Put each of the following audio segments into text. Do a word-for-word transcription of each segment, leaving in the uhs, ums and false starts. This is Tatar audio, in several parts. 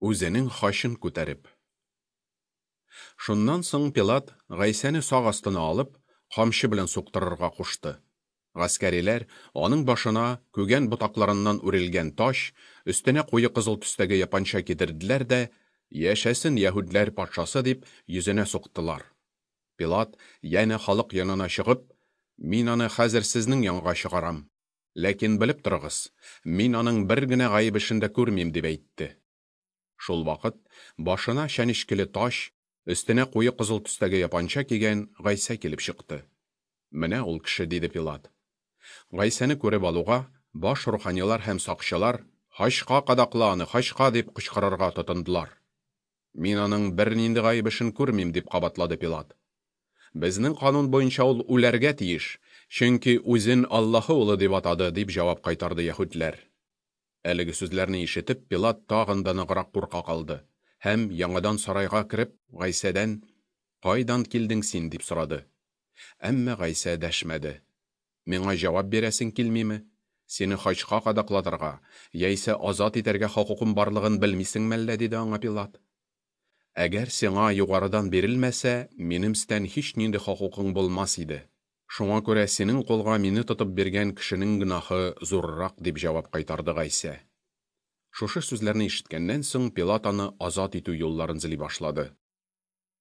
Үзенең хачын күтәреп. Шуннан соң Пилат Гайсәне сак астына алып, камчы белән суктырырга кушты. Гаскәриләр аның башына күгән ботакларыннан үрелгән таҗ, өстенә куе кызыл төстәге япанча кидерделәр дә, «Яшәсен яһүдләр патшасы!» дип, йөзенә суктылар. Пилат янә халык янына чыгып, «Мин аны хәзер сезнең янга чыгарам. Ләкин белеп торыгыз, мин аның бер генә гаеп эшен дә күрмим», дип әйтте. Шул вакыт башына чәнечкеле таҗ, өстенә куе кызыл төстәге япанча кигән Гайсә килеп чыкты. «Менә ул кеше», диде Пилат. Гайсәне күреп алуга, баш руханилар һәм сакчылар «Хачка кадакла аны, хачка!» дип кычкырырга тотындылар. «Мин аның бернинди гаеп эшен күрмим», дип кабатлады Пилат. «Безнең канун буенча ул үләргә тиеш, чөнки үзен Аллаһы улы дип атады», дип җавап кайтарды яһүдләр. Әлеге сүзләрне ишетеп, Пилат тагын да ныграк курка калды һәм яңадан сарайга кереп, Гайсәдән «Кайдан килдең син?» дип сорады. Әмма Гайсә дәшмәде. «Миңа җавап бирәсең килмиме? Сине хачка кадаклатырга, яисә азат итәргә хокукым барлыгын белмисеңме әллә?» диде аңа Пилат. «Әгәр сиңа югарыдан бирелмәсә, минем өстән һичнинди хокукың булмас иде. Шуңа күрә синең кулга мине тотып биргән кешенең гөнаһы зуррак», дип җавап кайтарды Гайсә. Шушы сүзләрне ишеткәннән соң Пилат аны азат итү юлларын эзли башлады.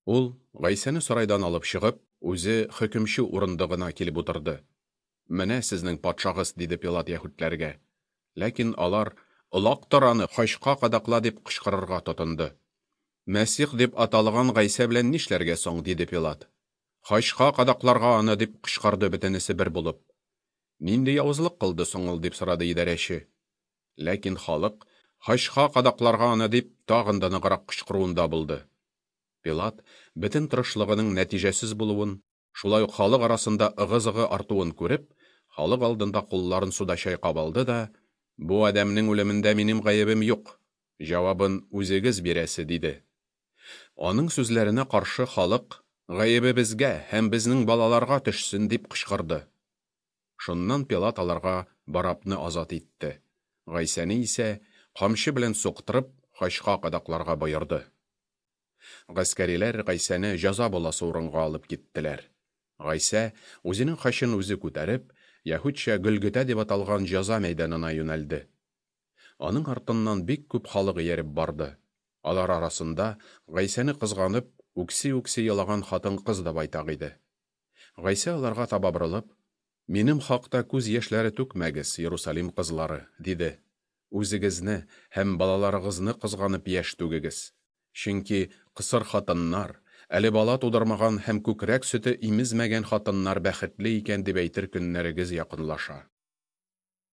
Ул Гайсәне сарайдан алып чыгып, үзе хөкемче урындыгына килеп утырды. «Менә сезнең патшагыз», диде Пилат яһүдләргә. Ләкин алар «Олактыр аны, хачка кадакла!» дип кычкырырга тотынды. «Мәсих дип аталган Гайсә белән нишләргә соң?» диде Пилат. «Хачка кадакларга аны!» дип кычкырды бөтенесе бер булып. «Нинди явызлык кылды соң ул?» дип сорады идарәче. Ләкин халык «Хачка кадакларга аны!» дип тагын да ныграк кычкыруында булды. Пилат бөтен тырышлыгының нәтиҗәсез булуын, шулай ук халык арасында ыгы-зыгы артуын күреп, халык алдында кулларын суда чайкап алды да, «Бу адәмнең үлемендә минем гаебем юк, җавабын үзегез бирәсе», диде. Аның сүзләренә каршы халык «Гаебе безгә һәм безнең балаларга төшсен» дип кычкырды. Шуннан Пилат аларга Барабны азат итте. Гайсәне исә камчы белән суктырып, хачка кадакларга боерды. Гаскәриләр Гайсәне җәза буласы урынга алып киттеләр. Гайсә үзенең хачын үзе күтәреп, яһүдчә Гөлгөтә дип аталган җәза мәйданына юнәлде. Аның артыннан бик күп халык ияреп барды. Алар арасында Гайсәне кызганып, үкси-үкси елаган хатын-кыз да байтак иде. Гайсә аларга таба борылып, «Минем хакта күз яшьләре түкмәгез, Иерусалим кызлары», диде. «Үзегезне һәм балаларыгызны кызганып яшь түгегез. Чөнки кысыр хатыннар, әле бала тудырмаган һәм күкрәк сөте имезмәгән хатыннар бәхетле икән дип әйтер көннәрегез якынлаша».